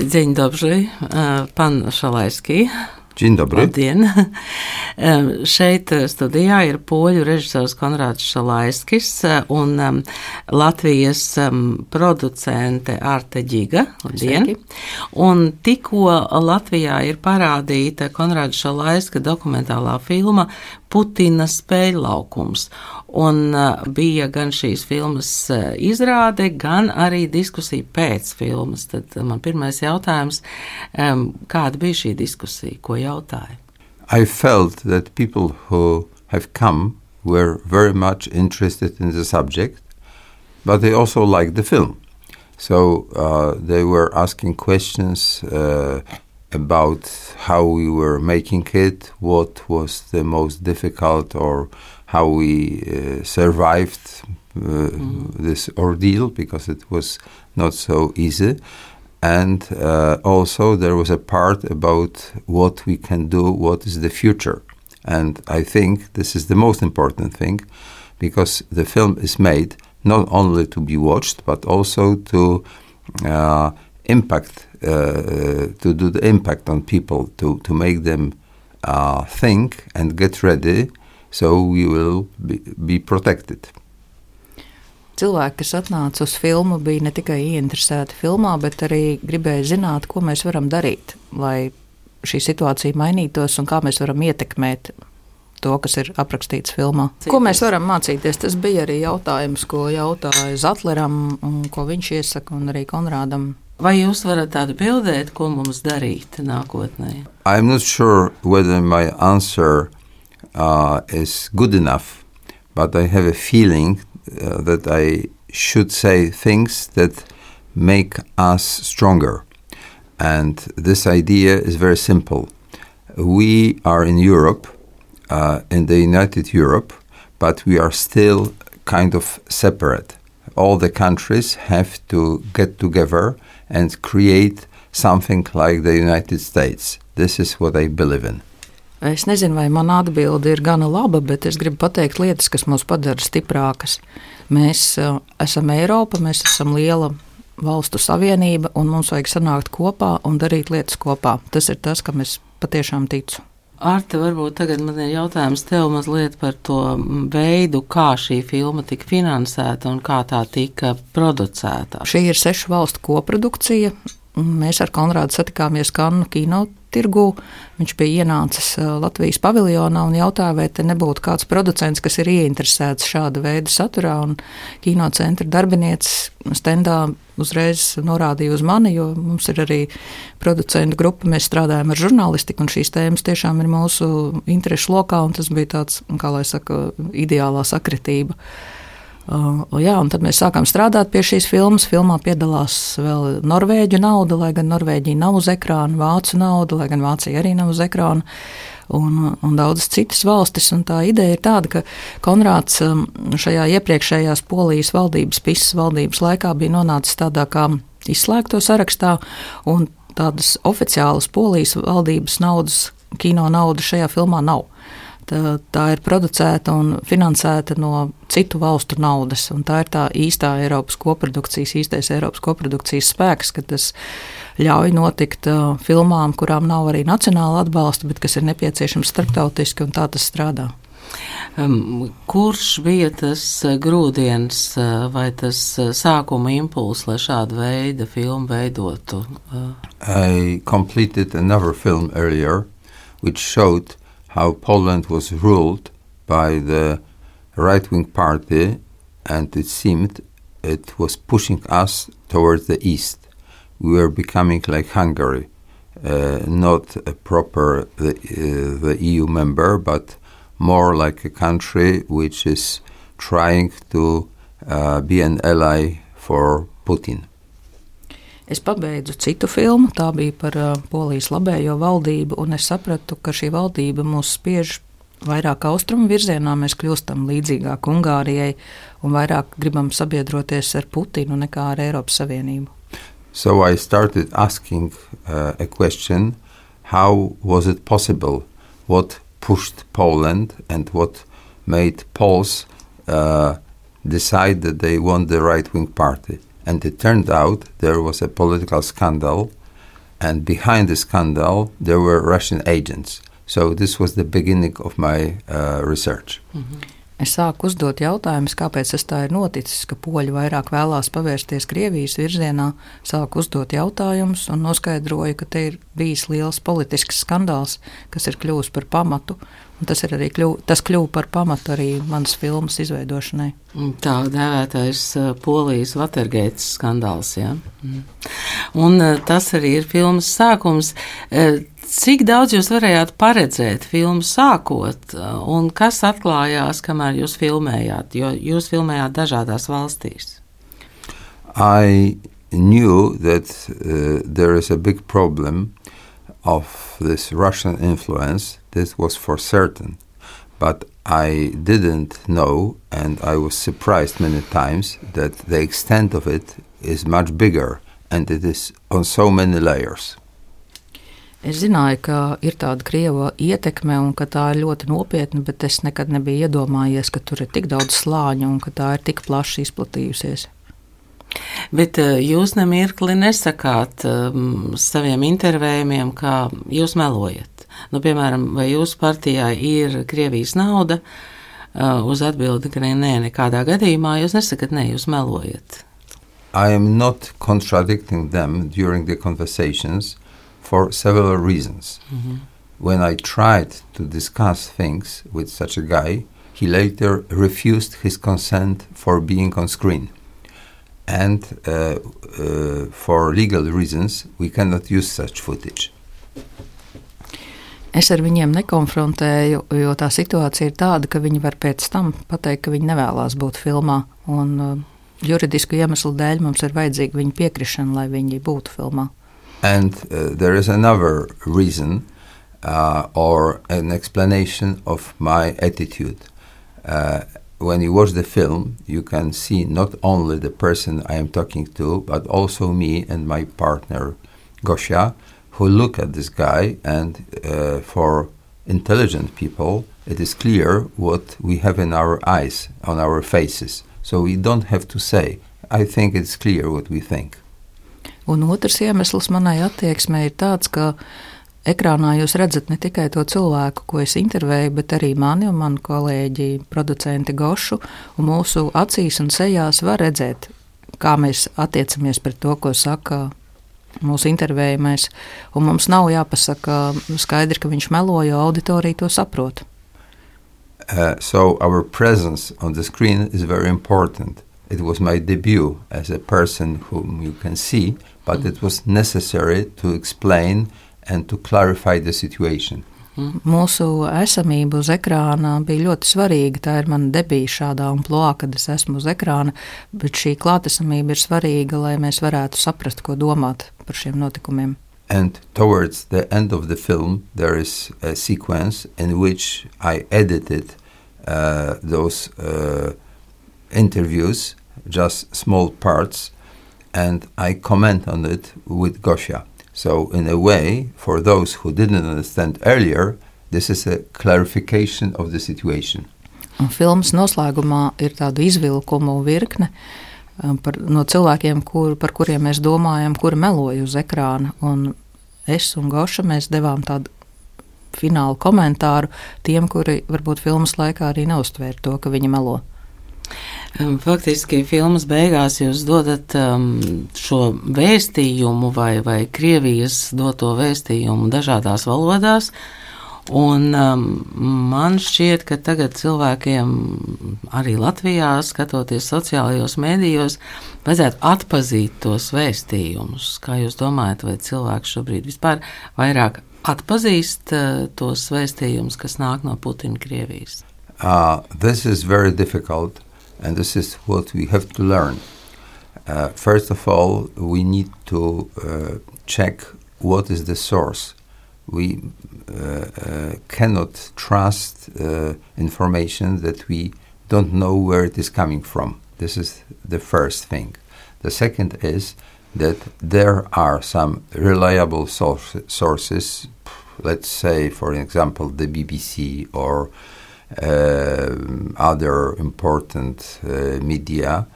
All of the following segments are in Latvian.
Dzień dobry, pan Šalaiskij. Dzień dobry. Labdien. Šeit studijā ir poļu režisors Konrāds Šalaiskis un Latvijas producente Arte Ģiga. Labdien. Un tikko Latvijā ir parādīta Konrāda Šalaiska dokumentālā filma Putina spēļlaukums. Un bija gan šīs filmas izrāde, gan arī diskusija pēc filmas. Tad man pirmais jautājums, kāda bija šī diskusija, ko jautāja? I felt that people who have come were very much interested in the subject, but they also liked the film. So they were asking questions about how we were making it, what was the most difficult, or how we survived this ordeal, because it was not so easy. And also there was a part about what we can do, what is the future. And I think this is the most important thing, because the film is made not only to be watched, but also to impact, to do the impact on people, to make them think and get ready, so we will be protected. Cilvēki, kas atnāca uz filmu, bija ne tikai ieinteresēti filmā, bet arī gribēja zināt, ko mēs varam darīt, lai šī situācija mainītos un kā mēs varam ietekmēt to, kas ir aprakstīts filmā. Ko mēs varam mācīties? Tas bija arī jautājums, ko jautāja Zatleram un ko viņš iesaka, un arī Konrādam. Vai jūs varat atbildēt, ko mums darīt nākotnē? I'm not sure whether my answer is good enough, but I have a feeling that I should say things that make us stronger. And this idea is very simple. We are in Europe, in the United Europe, but we are still kind of separate. All the countries have to get together and create something like the United States. This is what I believe in. Es nezinu, vai mana atbilde ir gana laba, bet es gribu pateikt lietas, kas mūs padara stiprākas. Mēs esam Eiropa, mēs esam liela valstu savienība, un mums vajag sanākt kopā un darīt lietas kopā. Tas ir tas, kam es patiešām ticu. Arte, varbūt tagad man ir jautājums tev mazliet par to veidu, kā šī filma tika finansēta un kā tā tika producēta. Šī ir 6 valstu koprodukcija. Mēs ar Konrādu satikāmies Kannu kinotirgū. Viņš bija ienācis Latvijas paviljonā un jautāja, vai te nebūtu kāds producents, kas ir ieinteresēts šāda veida saturā. Un kinocentra darbinieces stendā uzreiz norādīja uz mani, jo mums ir arī producentu grupa, mēs strādājam ar žurnālistiku, un šīs tēmas tiešām ir mūsu interešu lokā, un tas bija tāds, kā lai saka, ideālā sakritība. Jā, un tad mēs sākām strādāt pie šīs filmas. Filmā piedalās vēl norvēģu nauda, lai gan Norvēģija nav uz ekrāna, vācu nauda, lai gan Vācija arī nav uz ekrāna, un daudzas citas valstis. Un tā ideja ir tāda, ka Konrāds šajā iepriekšējās Polijas valdības, PIS valdības laikā bija nonācis tādā kā izslēgto sarakstā, un tādas oficiālas Polijas valdības naudas, kino nauda šajā filmā nav. Tā ir producēta un finansēta no citu valstu naudas, un tā ir tā īstā Eiropas koprodukcijas, īstais Eiropas koprodukcijas spēks, ka tas ļauj notikt filmām, kurām nav arī nacionāla atbalsta, bet kas ir nepieciešams starptautiski, un tā tas strādā. Kurš bija tas grūdienis vai tas sākuma impulss, lai šādu veidu filmu veidotu? I completed another film earlier, which showed how Poland was ruled by the right-wing party, and it seemed it was pushing us towards the east. We were becoming like Hungary, not a proper the EU member, but more like a country which is trying to be an ally for Putin. Es pabeidzu citu filmu, tā bija par Polijas labējo valdību, un es sapratu, ka šī valdība mūs spiež vairāk austrumu virzienā, mēs kļūstam līdzīgāk Ungārijai un vairāk gribam sabiedroties ar Putinu nekā ar Eiropas Savienību. So I started asking a question, how was it possible? What pushed Poland and what made Poles decide that they want the right-wing party? And it turned out there was a political scandal And behind the scandal, there were Russian agents. So this was the beginning of my research. Mm-hmm. Es sāku uzdot jautājumus, kāpēc tas tā ir noticis, ka poļi vairāk vēlās pavērsties Krievijas virzienā. Sāku uzdot jautājumus un noskaidroju, ka te ir bijis liels politisks skandāls, kas ir kļuvis par pamatu. Un tas kļuva par pamatu arī manas filmas izveidošanai. Tā dēvētais Polijas Watergate skandāls, jā. Un tas arī ir filmas sākums. Cik daudz jūs varējāt paredzēt filmu sākot, un kas atklājās, kamēr jūs filmējāt, jo jūs filmējāt dažādās valstīs? I knew that there is a big problem of this Russian influence. This was for certain, but I didn't know, and I was surprised many times that the extent of it is much bigger, and it is on so many layers. Es zināju, ka ir tāda Krieva ietekme un ka tā ir ļoti nopietna, bet es nekad nebiju iedomājies, ka tur ir tik daudz slāņu un ka tā ir tik plaši izplatījusies. Bet jūs nemirkli nesakāt saviem intervējumiem, kā jūs melojat. Nu, piemēram, vai jūsu partijā ir Krievijas nauda? Uz atbildi, ka nē, nekādā gadījumā jūs nesakat, nē, jūs melojat. I am not contradicting them during the conversations for several reasons. Mm-hmm. When I tried to discuss things with such a guy, he later refused his consent for being on screen. And for legal reasons, we cannot use such footage. Es ar viņiem nekonfrontēju, jo tā situācija ir tāda, ka viņi var pēc tam pateikt, ka viņi nevēlās būt filmā. Un juridisku iemeslu dēļ mums ir vajadzīga viņa piekrišana, lai viņi būtu filmā. And there is another reason or an explanation of my attitude. When you watch the film, you can see not only the person I am talking to, but also me and my partner, Gosia, who look at this guy, and for intelligent people, it is clear what we have in our eyes, on our faces. So we don't have to say. I think it's clear what we think. Un otrs iemesls manai attieksmei ir tāds, ka ekrānā jūs redzat ne tikai to cilvēku, ko es intervēju, bet arī mani un manu kolēģi, producenti Gošu, un mūsu acīs un sejās var redzēt, kā mēs attiecamies pret to, ko saka mūsu intervējumais, un mums nav jāpasaka skaidri, ka viņš melo, jo auditorija to saprot. So our presence on the screen is very important. It was my debut as a person whom you can see, but it was necessary to explain and to clarify the situation. Mūsu esamība uz ekrāna bija ļoti svarīga. Tā ir mana debija šādā amplitūdā, kad es esmu uz ekrāna, bet šī klātesamība ir svarīga, lai mēs varētu saprast, ko domāt par šiem notikumiem. And towards the end of the film, there is a sequence in which I edited those interviews, just small parts, and I comment on it with Gosia. So in a way, for those who didn't understand earlier, this is a clarification of the situation. Un filmas noslēgumā ir tāda izvilkumu virkne no cilvēkiem, par kuriem mēs domājam, kuri meloja uz ekrāna. Un es un Goša mēs devām tādu finālu komentāru tiem, kuri varbūt filmas laikā arī neuztvēra to, ka viņi melo. Faktiski filmas beigās jūs dodat šo vēstījumu vai Krievijas doto vēstījumu dažādās valodās, un man šķiet, ka tagad cilvēkiem arī Latvijā, skatoties sociālajos mēdījos, vajadzētu atpazīt tos vēstījumus. Kā jūs domājat, vai cilvēki šobrīd vispār vairāk atpazīst tos vēstījumus, kas nāk no Putina Krievijas? This is very difficult. And this is what we have to learn. First of all, we need to check what is the source. We cannot trust information that we don't know where it is coming from. This is the first thing. The second is that there are some reliable sources, let's say, for example, the BBC or other important media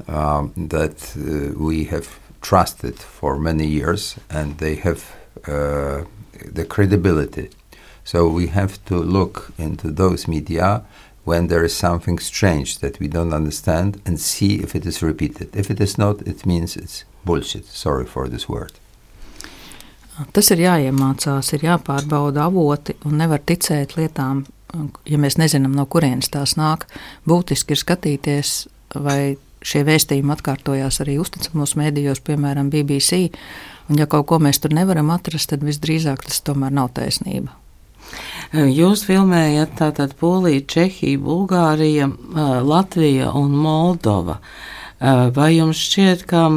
that we have trusted for many years, and they have the credibility. So we have to look into those media when there is something strange that we don't understand and see if it is repeated. If it is not, it means it's bullshit. Sorry for this word. Tas ir jāiemācās, ir jāpārbauda avoti un nevar ticēt lietām, ja mēs nezinām, no kurienes tās nāk. Būtiski ir skatīties, vai šie vēstījumi atkārtojās arī uzticamos mēdījos, piemēram, BBC, un ja kaut ko mēs tur nevaram atrast, tad visdrīzāk tas tomēr nav taisnība. Jūs filmējat tātad Polija, Čehija, Bulgārija, Latvija un Moldova. Vai jums šķiet, ka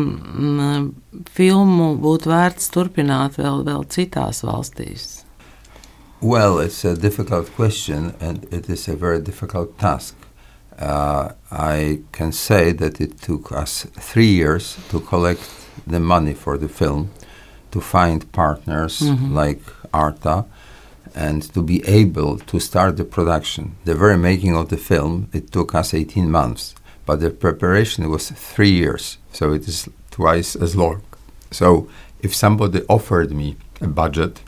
filmu būtu vērts turpināt vēl citās valstīs? Well, it's a difficult question and it is a very difficult task. I can say that it took us 3 years to collect the money for the film, to find partners like Arta, and to be able to start the production. The very making of the film, it took us 18 months, but the preparation was 3 years, so it is twice as long. So if somebody offered me a budget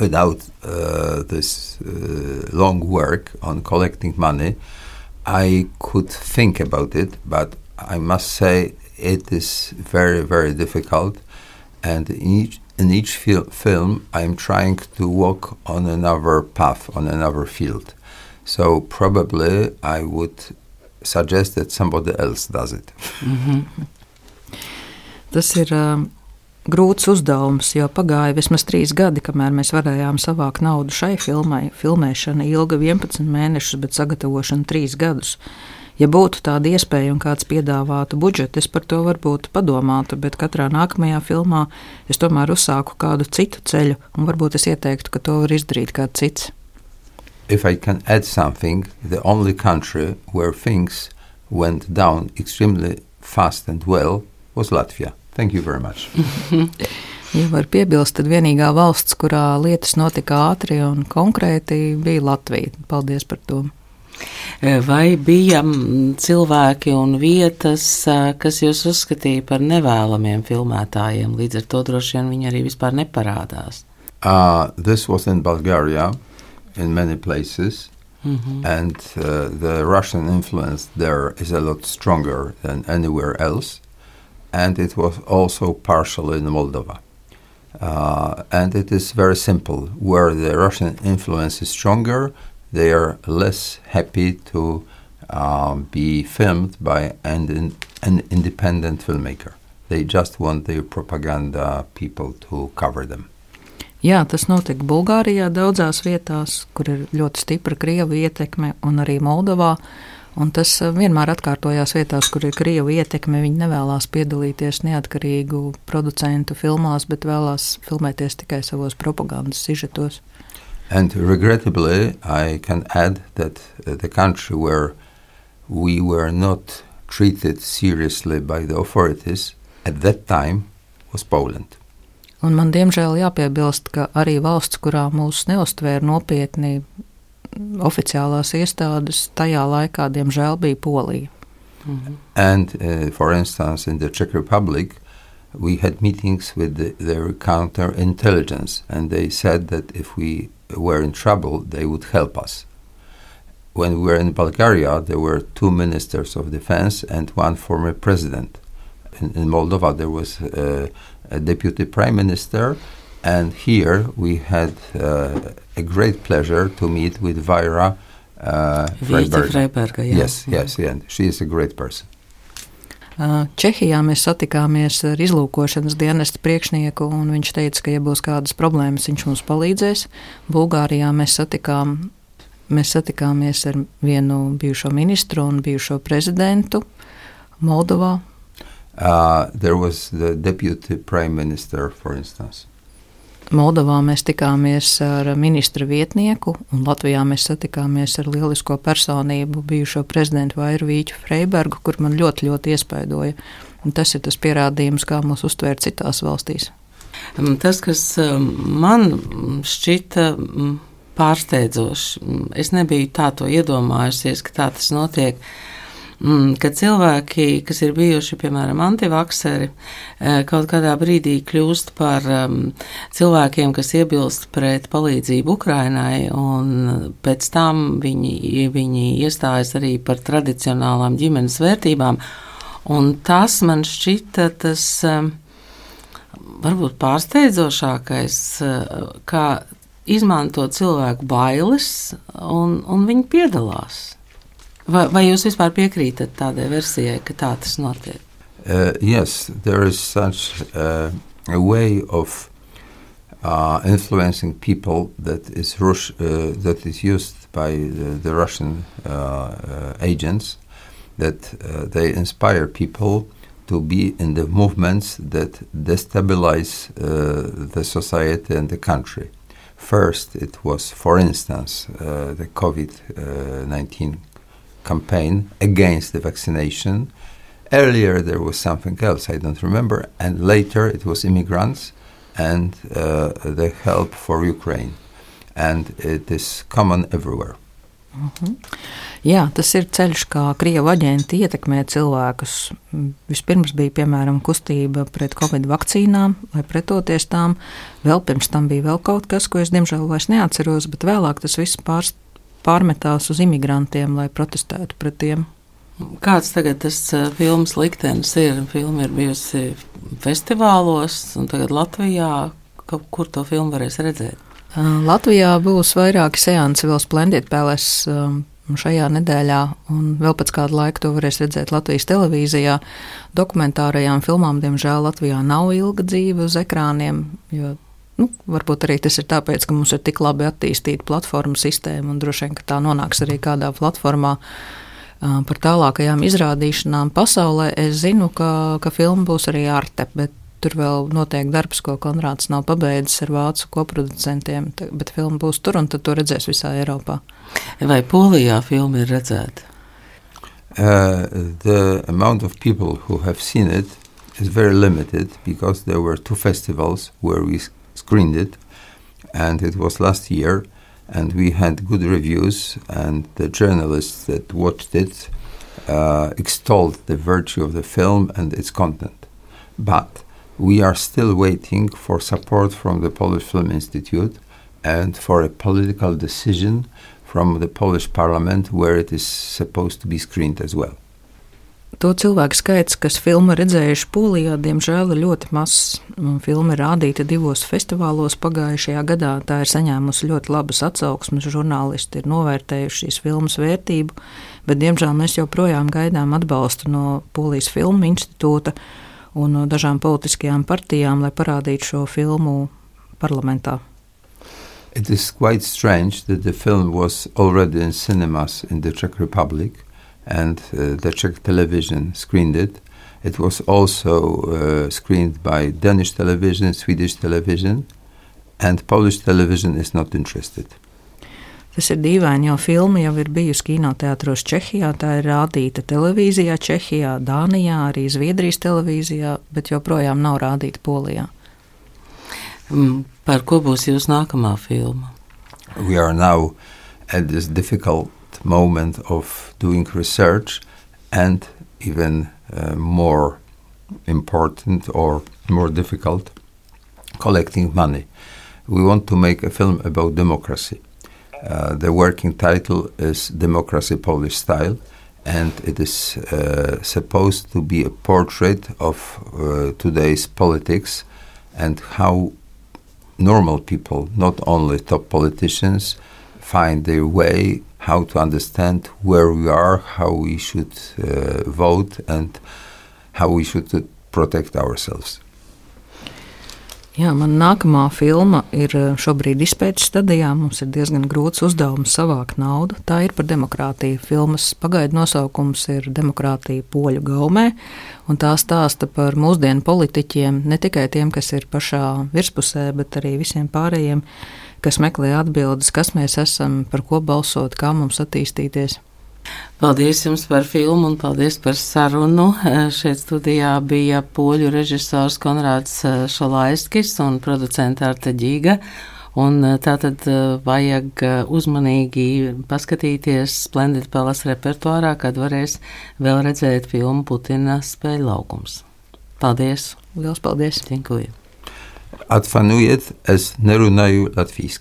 without this long work on collecting money, I could think about it, but I must say it is very, very difficult, and in each film, I'm trying to walk on another path, on another field. So probably I would suggest that somebody else does it. Tas ir grūts uzdevums, jo pagāja vismaz 3 gadi, kamēr mēs varējām savākt naudu šai filmai. Filmēšana ilga 11 mēnešus, bet sagatavošana 3 gadus. Ja būtu tāda iespēja un kāds piedāvātu budžetu, es par to varbūt padomātu, bet katrā nākamajā filmā es tomēr uzsāku kādu citu ceļu, un varbūt es ieteiktu, ka to var izdarīt kāds cits. If I can add something, the only country where things went down extremely fast and well was Latvia. Thank you very much. Ja var piebilst, tad vienīgā valsts, kurā lietas notika ātri un konkrēti, bija Latvija. Paldies par to. Vai bija cilvēki un vietas, kas jūs uzskatīja par nevēlamiem filmētājiem, līdz ar to droši vien viņi arī vispār neparādās? This was in Bulgaria, in many places, and the Russian influence there is a lot stronger than anywhere else, and it was also partially in Moldova. And it is very simple. Where the Russian influence is stronger, they are less happy to be filmed by an independent filmmaker. They just want their propaganda people to cover them. Jā, tas notika Bulgārijā daudzās vietās, kur ir ļoti stipra Krievu ietekme, un arī Moldovā. Un tas vienmēr atkārtojās vietās, kur ir Krievu ietekme. Viņi nevēlās piedalīties neatkarīgu producentu filmās, bet vēlās filmēties tikai savos propagandas sižetos. And regrettably, I can add that the country where we were not treated seriously by the authorities at that time was Poland. Un man diemžēl jāpiebilst, ka arī valsts, kurā mūs neuztvēra nopietni oficiālās iestādes, tajā laikā, diemžēl, bija Polija. And for instance, in the Czech Republic, we had meetings with their counterintelligence, and they said that if we were in trouble, they would help us. When we were in Bulgaria, there were 2 ministers of defense and 1 former president. In Moldova, there was a deputy prime minister, and here we had a great pleasure to meet with Vaira Freiberga. Yes, and she is a great person. Čehijā mēs satikāmies ar izlūkošanas dienesta priekšnieku, un viņš teica, ka, ja būs kādas problēmas, viņš mums palīdzēs. Bulgārijā mēs satikāmies ar vienu bijušo ministru un bijušo prezidentu. Moldovā. There was the deputy prime minister, for instance. Moldovā mēs tikāmies ar ministra vietnieku, un Latvijā mēs satikāmies ar lielisko personību, bijušo prezidentu Vairu Freibergu, kur man ļoti, ļoti iespaidoja. Un tas ir tas pierādījums, kā mūs uztvēr citās valstīs. Tas, kas man šķita pārsteidzoši, es nebiju tā to iedomājusies, ka tā tas notiek. ka cilvēki, kas ir bijuši, piemēram, antivakseri, kaut kādā brīdī kļūst par cilvēkiem, kas iebilst pret palīdzību Ukrainai, un pēc tam viņi iestājas arī par tradicionālām ģimenes vērtībām. Un tas man šķita tas varbūt pārsteidzošākais, kā izmanto cilvēku bailes, un viņi piedalās. Vai jūs vispār piekrītat tādai versijai, ka tā tas notiek? Yes, there is such a way of influencing people that is used by the Russian agents, that they inspire people to be in the movements that destabilize the society and the country. First, it was, for instance, the COVID-19 campaign against the vaccination. Earlier, there was something else, I don't remember, and later it was immigrants and the help for Ukraine. And it is common everywhere. Jā, tas ir ceļš, kā Krievu aģenti ietekmē cilvēkus. Vispirms bija, piemēram, kustība pret Covid vakcīnām, lai pretoties tām. Vēl pirms tam bija vēl kaut kas, ko es diemžēl vairs neatceros, bet vēlāk tas viss pārmetās uz imigrantiem, lai protestētu pret tiem. Kāds tagad tas filmas liktenis ir? Filma ir bijusi festivālos, un tagad Latvijā, kur to filmu varēs redzēt? Latvijā būs vairāki seansi vēl Splendid Palace šajā nedēļā, un vēl pēc kāda laika to varēs redzēt Latvijas televīzijā. Dokumentārajām filmām, diemžēl, Latvijā nav ilga dzīve uz ekrāniem, jo varbūt arī tas ir tāpēc, ka mums ir tik labi attīstīta platforma sistēma, un droši vien, ka tā nonāks arī kādā platformā par tālākajām izrādīšanām pasaulē. Es zinu, ka filma būs arī Arte, bet tur vēl notiek darbs, ko Konrāds nav pabeidzis ar vācu koproducentiem, bet filma būs tur, un tad to redzēs visā Eiropā. Vai Polijā filma ir redzēta? The amount of people who have seen it is very limited, because there were 2 festivals where we screened it, and it was last year, and we had good reviews, and the journalists that watched it extolled the virtue of the film and its content. But we are still waiting for support from the Polish Film Institute and for a political decision from the Polish Parliament where it is supposed to be screened as well. To cilvēku skaits, kas filmu redzējuši Polijā, diemžēl ir ļoti mazs. Filma ir rādīta 2 festivālos pagājušajā gadā. Tā ir saņēmusi ļoti labas atsauksmes, žurnālisti ir novērtējuši šīs filmas vērtību, bet diemžēl mēs joprojām gaidām atbalstu no Polijas Filmu institūta un no dažām politiskajām partijām, lai parādītu šo filmu parlamentā. It is quite strange that the film was already in cinemas in the Czech Republic, and the Czech television screened it. It was also screened by Danish television, Swedish television, and Polish television is not interested. Tas ir dīvaini, jo filma jau ir bijusi kinoteātros Čehijā, tā ir rādīta televīzijā Čehijā, Dānijā, arī Zviedrijas televīzijā, bet joprojām nav rādīta Polijā. Par ko būs jūsu nākamā filma? We are now at this difficult moment of doing research and even more important or more difficult, collecting money. We want to make a film about democracy. The working title is Democracy Polish Style, and it is supposed to be a portrait of today's politics and how normal people, not only top politicians, find their way, how to understand where we are, how we should vote, and how we should protect ourselves. Jā, man nākamā filma ir šobrīd izpētes stadijā. Mums ir diezgan grūts uzdevums savākt naudu. Tā ir par demokrātiju. Filmas pagaidu nosaukums ir Demokrātija Poļu gaumē, un tā stāsta par mūsdienu politiķiem, ne tikai tiem, kas ir pašā virspusē, bet arī visiem pārējiem, kas meklē atbildes, kas mēs esam, par ko balsot, kā mums attīstīties. Paldies jums par filmu un paldies par sarunu. Šeit studijā bija poļu režisors Konrāds Šalaiskis un producente Arte Ģiga. Un tātad vajag uzmanīgi paskatīties Splendid Palace repertuārā, kad varēs vēl redzēt filmu Putina spēļu laukums. Paldies! Liels paldies! Dziękuję. Atvainojiet, es nerunāju latvīski.